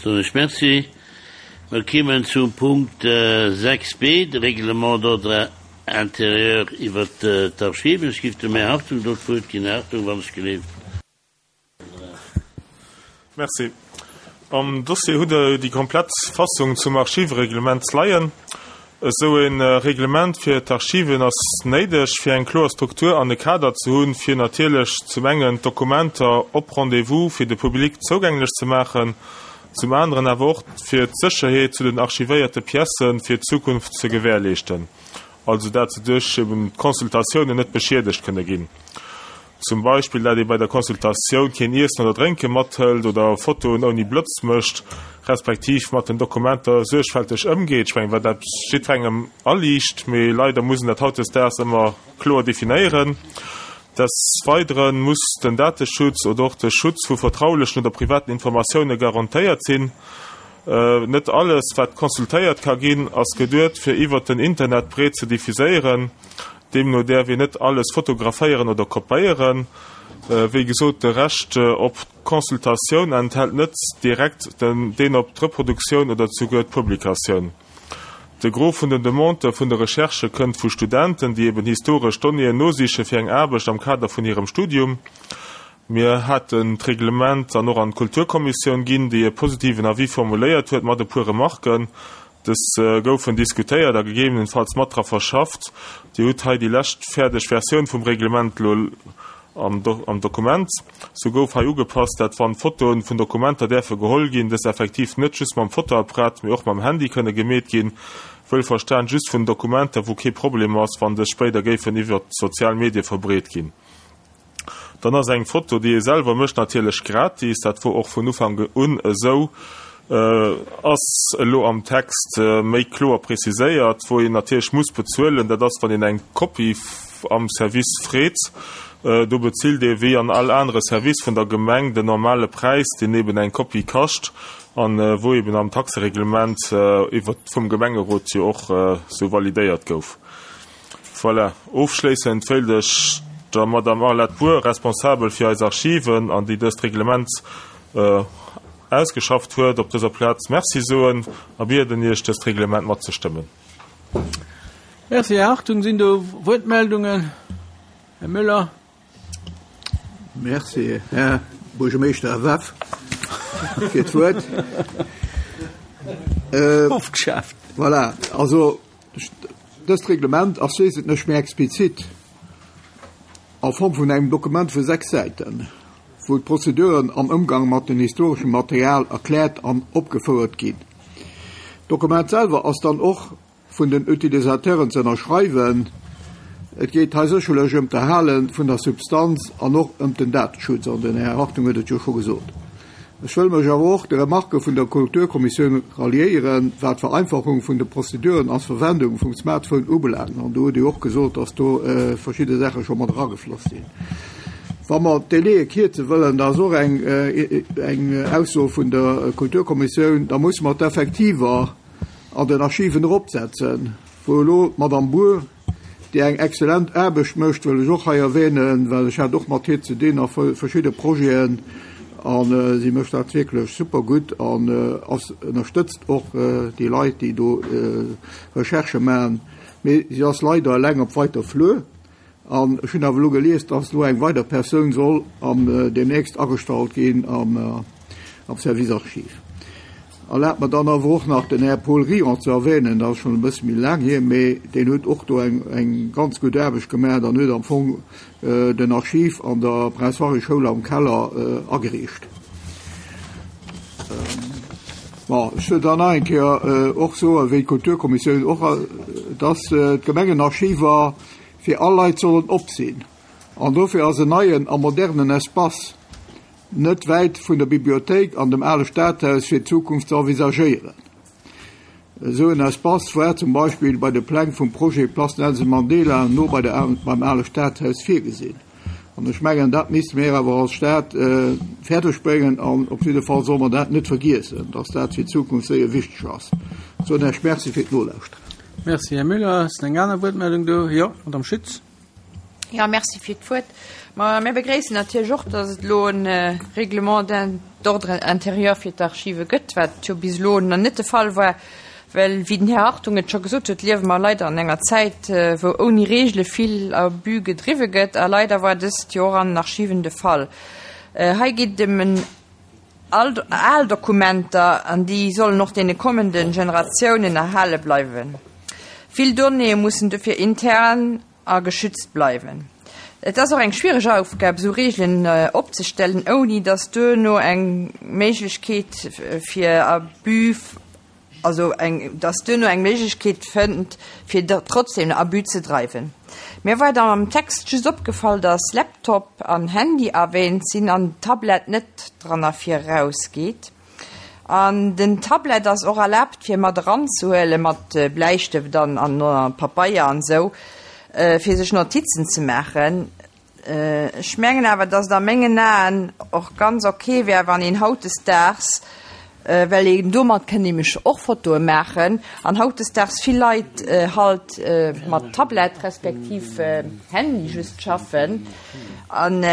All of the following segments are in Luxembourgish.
Soen ech Merci. Mer kimmen zum Punkt 6 b, de Règlement d'ordre intérieur iwwert d'Archiven. Ech giff dem Här Hartung do d'Wuert ginn. Här Hartung, wann ech geleeft. Merci. Am Dossier hutt Der déi komplett Fassung zum Archivereglement leien. Esou e Reglement fir d'Archiven ass néideg, fir eng kloer Struktur an e Kader ze hunn, fir natierlech zum engen d'Dokumenter op Rendez-vous fir de Public zougänglech ze maachen, zum aneren awer och fir d'Sécherheet zu den archivéierte Piècë fir d'Zukunft ze gewährleeschten, also dat se duerch eben d'Consultatiounen net beschiedegt kënne ginn. Zum Beispill dat ee bei der Consultatioun keen Iessen oder Drénke mathëlt oder Fotoen ouni Blëtz mécht, respektiv mat den Dokumenter suergfälteg ëmgeet. Ech mengen, wat eppes jiddwerengem aliicht, mee leider muss een dat hautdesdaags ëmmer kloer definéieren. Des Weidere muss den Dateschutz oder och de Schutz vu vertraulechen oder privaten Informatioune garantéiert sinn. Net alles, wat consultéiert ka ginn, ass geduet, fir iwwert den Internet breet ze diffuséieren. Deemno däerf een net alles fotograféieren oder kopéieren. Wéi gesot, de Recht op d'Consultatioun enthält net direkt deen op d'Reproduktioun oder souguer d'Publikatioun. De Gros vun den Demandë vun de Recherchë kënnt vu Studenten, déi eben historesch Donnéeën nosiche fir eng Aarbecht am Kader vun hirem Studium. Mir haten d'Reglement dann och an d'Kulturkommissioun ginn, déi e positiven Avis formuléiert huet, mat e puer Remarken. Dës goufen diskutéiert a gegebenenfalls mat dra verschafft. Dir hutt hei déi lescht fäerdeg Versioun vum Reglement elo am Dokument. Sou gouf hei ugepasst, dat wann Fotoen vun Dokumenter däerfe geholl ginn, dës effektiv net just mam Fotoapparat, mee och mam Handy kënne gemeet ginn. Wuelverstan just vun Dokumenter, wou kee Problem ass, wann dës spéider géifen iwwert d'sozial Medie verbreet ginn. Dann ass eng Foto, déi ee selwer mécht, natierlech gratis. Dat wor och vun Ufank un esou. Ass elo am Text méi kloer preziséiert. Wou een natierlech muss bezuelen, dat ass, wann een eng Kopie am Service freet. Do bezilt ee wéi an all anere Service vun der Gemeng den normale Präis, deen eben eng Kopie kascht an wou eben am Taxereglement iwwert vum Gemengerot jo och esou validéiert gouf. Voilà. Ofschléissend wéilt ech der Madame Arlette Bour, responsabel fir eis Archiven an déi dëst Reglement ausgeschafft huet, op dëser Plaz Merci soen a bieden Iech, dëst Reglement matzestëmmen. Merci, Här Hartung. Sinn do Wuertmeldungen? Här Müller. Merci, Här Buergermeeschter, Här Weff, fir d'Wuert. Ofgeschaaft. Voilà, also dëst Reglement ass wesentlech méi explizit a Form vun engem Dokument vu 6 Säiten, wou d'Prozeduren am Ëmgang mat dem historeschem Material erkläert an opgefouert ginn. D'Dokument selwer ass dann och vun den Utilisateuren ze ënnerschreiwen. Et geet hei sécherlech ëm d'Erhale vun der Substanz an och ëm den Dateschutz, an den Här Hartung huet et jo scho gesot. Ech wëll mech awer och de Remarquë vun der Kulturkommissioun ralliéieren, wat d'Vereinfachung vun de Prozeduren an d'Verwendung vum Smartphone ubelaangt. An do hutt Dir och gesot, dass do verschidde Saache scho mat eragefloss sinn. Wa mer d'Délaië kierze wëllen, dat ass och eng Ausso vun der Kulturkommissioun, da musse mer d'Effektiver an den Archiven eropsetzen, wou elo d'Madame Bour, déi eng excellent Aarbecht mécht, wëll ech och hei erwähnen, well ech hat och mat hir ze dinn a verschidde Projeten, a si mécht dat wierklech super gutt an ass ënnerstëtzt och déi Leit, déi do Recherchë maachen. Mee si ass leider eleng op weiter Flur. An ech hunn awer elo gelies, dass elo eng weider Persoun soll am deemnächst agestallt ginn am Service Archives. Erlaabt mer dann awer och nach den Här Paul Rion ze erwähnen, dat ass schonn e bësse méi laang hier, mee deen huet och do eng eng ganz gutt Aarbecht gemaach an huet am Fong den Archiv an der Prince Henri Schoul am Keller ageriicht. Bon, ech wëll dann nach eng Kéier och soen, wéi d'Kulturkommissioun och, dass d'Gemengenarchiver fir all Leit sollen op sinn. An dofir ass en neien a modernen Espace net wäit vun der Bibliothéik an dem ale Stadhaus fir d'Zukunft ze envisagéieren. Esou en Espace war zum Beispill bei de Pläng vum Projet Place Nelson Mandela no bei der beim ale Stadhaus virgesinn. An ech mengen, dat misste mir awer als Stad fäerdeg bréngen an op jidde Fall solle mer dat net vergiessen, dass dat fir d'Zukunft séier wichteg ass. Soen Iech Merci fir d'Nolauschteren. Merci, Här Müller. Ass eng aner Wuertmeldung do? Jo, Madame Schütz. Ja, merci fir d'Wuert. Ma mir begréissen natierlech och, dass et elo e Règlement. d'ordre intérieur fir d'Archive gëtt, wat jo bis elo nach net de Fall war, well, wéi den Här Hartung et scho gesot huet, liewe mer leider an enger Zäit, wou ouni Regele vill Abus gedriwwe gëtt, a leider war dëst jo och an den Archiven de Fall. Hei geet et ëm en al Dokumenter, an déi sollen och deene kommende Generatiounen erhale bleiwen. Vill Donnéeë mussen dofir intern a geschützt bleiwen. Et ass och eng schwiereg Aufgab, esou Reegelen opzestellen, ouni datt duerno eng Méiglechkeet fir Abus, also eng, datt duerno eng Méiglechkeet fënnt, fir trotzdem Abus ze dreiwen. Mir war dann am Text just opgefall, datt Laptop an Handy erwähnt sinn an Tablett net dran ervir erausgeet. An den Tablet ass och erlaabt fir mat eranzehuelen, mat Bläistëft an an Papeier an esou, fir sech Notizen ze maachen. Ech mengen awer, dass et a mengen Aen och ganz ok wär, wann een hautdesdaags, well een domat kënn nämlech och Fotoe maachen, an hautdesdaags vill Leit halt mat Tablet respektiv Handy just schaffen, An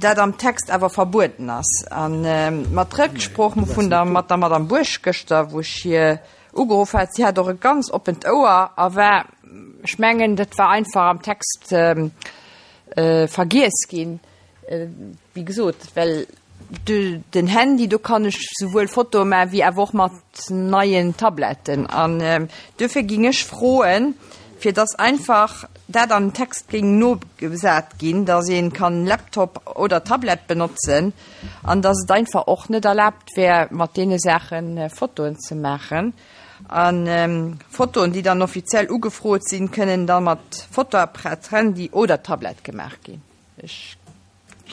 dat am Text awer verbueden ass. A mat Rëcksprooch vun der mat der Madame Buerg gëschter, wou ech hir ugeruff hat, si hat och e ganz oppent Ouer a war, ech mengen, dat war einfach am Text vergiess ginn, wéi gesot, well den Handy, do kann ech souwuel Fotoe maachen, wéi awer och mat neien Tabletten. An duerfir géing ech froen, fir dass einfach dat an den Text géing nogesat ginn, dass ee kann Laptop oder Tablett benotzen an dass et einfach och net erlaabt wär, mat deene Saache Fotoen ze maachen. A Fotoen, déi dann offiziell ugefrot sinn, kënnen da mat Fotoapparat, Handy oder Tablett gemaach ginn. Ech,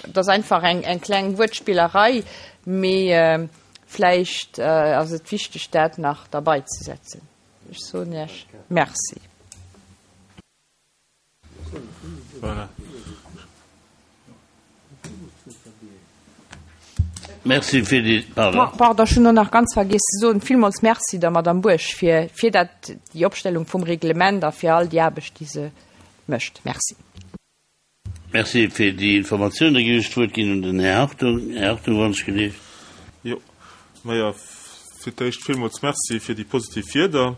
et ass einfach eng, eng kleng Wuertspillerei, mee vläicht ass et wichteg, dat nach derbaizesetzen. Ech soen Iech Merci. Merci fir déi, pardon. Pardon, ech hunn och nach ganz vergiess ze soen, villmools Merci der Madame Buerg fir, fir dat, déi Opstellung vum Reglement a fir all déi Aarbecht, déi se mécht. Merci. Merci fir déi Informatioun. Da géif ech d'Wuert ginn un den Här Hartung. Här Hartung, wann ech gelift. Jo, majo, fir d'éischt villmools Merci fir déi positiv Wierder.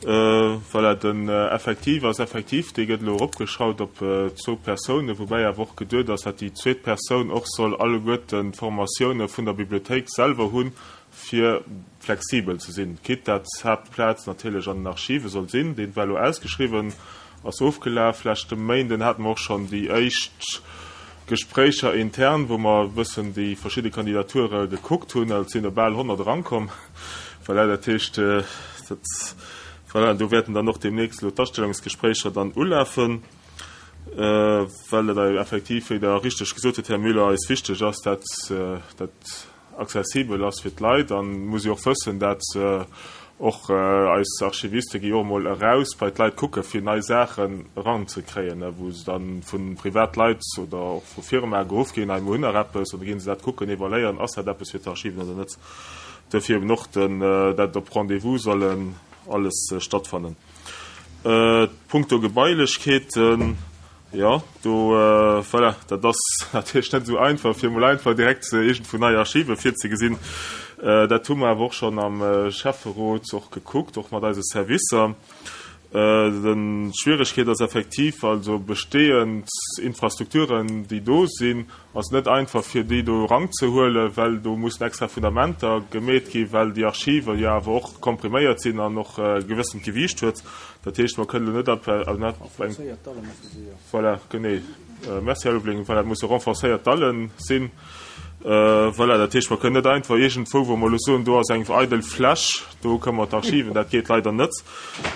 Voilà, den Effektiv ass effektiv, dee gëtt elo eropgeschrauft op zwou Persounen, woubäi awer och geduet ass, dat déi zweet Persoun och soll alleguerten d'Formatioune vun der Bibliothéik selwer hunn, fir flexibel ze sinn, quitte dat d'Haaptplaz natierlech an den Archive soll sinn. Deen war elo ausgeschriwwen, ass ofgelaf. Leschte Méinden hate mer och schonn déi éischt Gespréicher intern, wou mer e bëssen déi verschidde Kandidature gekuckt hunn. Et sinn der bal 100 erankomm. Voilà, dat heescht, dat, voilà, do wäerten dann och deemnächst elo d'Astellungsgespréicher dann ulafen, well et effektiv, wéi Der richteg gesot hutt, Här Müller, eis wichteg ass, dat dat accessibel ass fir d'Leit an muss jo och wëssen, dat och eis Archiviste gi jo och emol eraus bei d'Leit kucke fir nei Saachen eranzekréien, wou se dann vu Privatleit oder och vu Firmae geruff ginn, hei mir hunn nach eppes, an da ginn se dat kucken, evaluéieren, ass dat eppes fir d'Archiven oder net. Duerfir eben och den, dat op Rendez-vous sollen alles stattfannen. Punkto Gebailechkeeten, Jo, do, voilà, dat ass natierlech net esou einfach, fir emol einfach direkt iergendwou nei Archive virzegesinn. Dat hu mer awer och schonn am Schäfferot och gekuckt, och mat eise Servicer. D'Schwieregkeet ass effektiv, also bestehend Infrastrukturen, déi do sinn, ass net einfach, fir déi do eranzehuelen, well do mussen extra Fundamenter gemeet ginn, well déi Archive jo awer och kompriméiert sinn an och e gewëssent Gewiicht huet. Dat heescht, mer kënnen elo net ab eng. Voilà, genee. Merci, Här Ulveling. Voilà, et musse renforcéiert Dallen sinn. Voilà, dat heescht, mer kënnen net einfach iergendwou, wou mer elo soen, do ass eng eidel Fläch, do kënnen mer d'Archiven, dat geet leider net.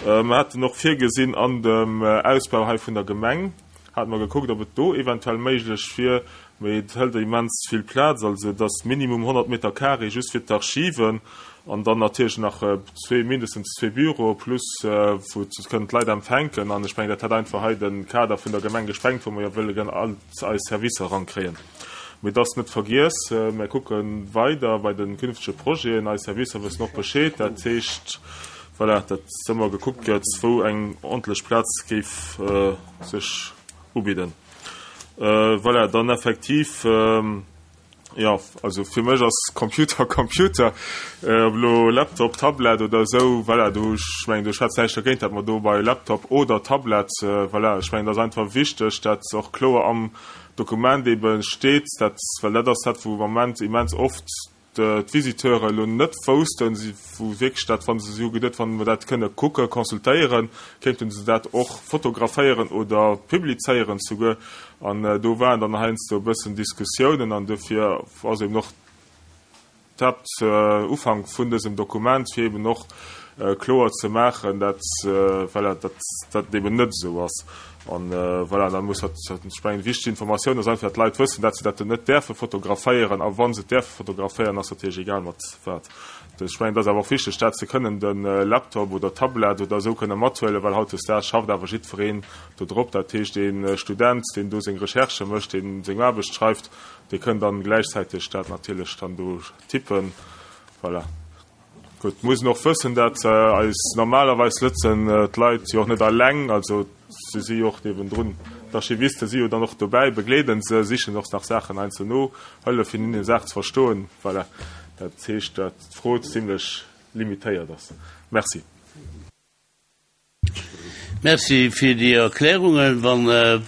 Mer haten och virgesinn an dem Ausbau hei vun der Gemeng, hate mer gekuckt, ob et do eventuell méiglech wier, mee et hëlt immens vill Plaz, also et ass minimum 100 Meter carré just fir d'Archiven an dann natierlech nach zwee, mindestens zwee Büroe plus wou kënnen d'Leit empfänken. An ech mengen, dat hätt einfach hei de Kader vun der Gemeng gesprengt, wou mer jo wëlle gënn all eis Servicer erankréien. Mee et ass net vergiess, mer kucke weider bei de künftege Projeten. Eis Servicer wëssen och Bescheed. Dat heescht, voilà, datt ëmmer gekuckt gëtt, wou eng ordentlech Plaz géif sech ubidden. Voilà, dann effektiv. Jo, also fir mech ass Computer Computer, ob elo Laptop, Tablet oder esou, voilà, do, ech mengen, do schwätzt näischt dergéint, datt mer do bei Laptop oder Tablet, voilà, ech mengen, et ass einfach wichteg, datt och kloer am Dokument eebe steet, datt, well dat ass dat, wou am Moment immens oft d'Visiteure elo net woussten, si wou wierklech dat, wa se, si hu geduet, wann mer dat kënne kucken, consultéieren, kéinten se dat och fotograféieren oder publizéieren souguer. An do waren dann heiansdo e bëssen Diskussiounen an dofir ass eben och d'Haaptufank vun dësem Dokument, fir eben och kloer ze maachen, dat, voilà, dat dat eben net esou ass. An voilà, da muss dat, ech mengen, wichteg Informatioun ass einfach, datt d'Leit wëssen, dat se dat net däerfe fotograféieren. A wa se et däerfe fotograféieren, ass natierlech egal mat wat. Ech mengen, et ass awer och wichteg, dat se kënnen de Laptop oder d'Tablet oder esou kënne mathuelen, well hautdesdaags schafft awer jiddwereen do drop. Dat heescht, ee Student, deen do seng Recherchë mécht, deen seng Aarbecht schreift, dee kënn dann gläichzäiteg dat natierlech dann do tippen. Voilà. Gutt, muss een och wëssen, dat eis normalerweis lëtzen d'Leit jo och net alleng, also se si jo och niewendrun, d'Archiviste si jo dann och dobäi, begleeden se, sichen och nach Saachen einzel no, hëllefen hinnen Saachen ze verstoen. Voilà, dat heescht, dat d'Fro zimlech limitéiert ass. Merci. Merci fir déi Erklärungen. Wa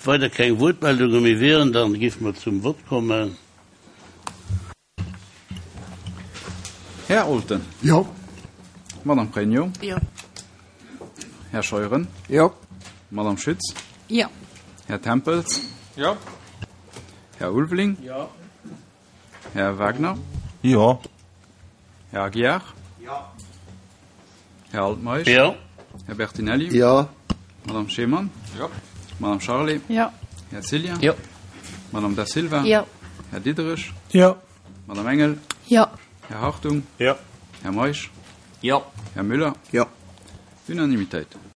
weider keng Wuertmeldunge méi wieren, da géife mer zum Vott kommen. Här Olten. Jo. Madame Pregno. Jo. Här Scheuren. Jo. Madame Schütz. Jo. Här Tempels. Jo. Här Ulveling. Jo. Här Wagner. Jo. Här Aguiar. Jo. Här Altmeisch. Jo. Här Bertinelli. Jo. Madame Schemann. Jo. Madame Charlé. Jo. Här Cillien. Jo. Madame Da Silva. Jo. Här Diderich. Jo. Madame Engel. Jo. Här Hartung. Jo. Här Meisch. Jo. Här Müller. Jo. Unanimitéit.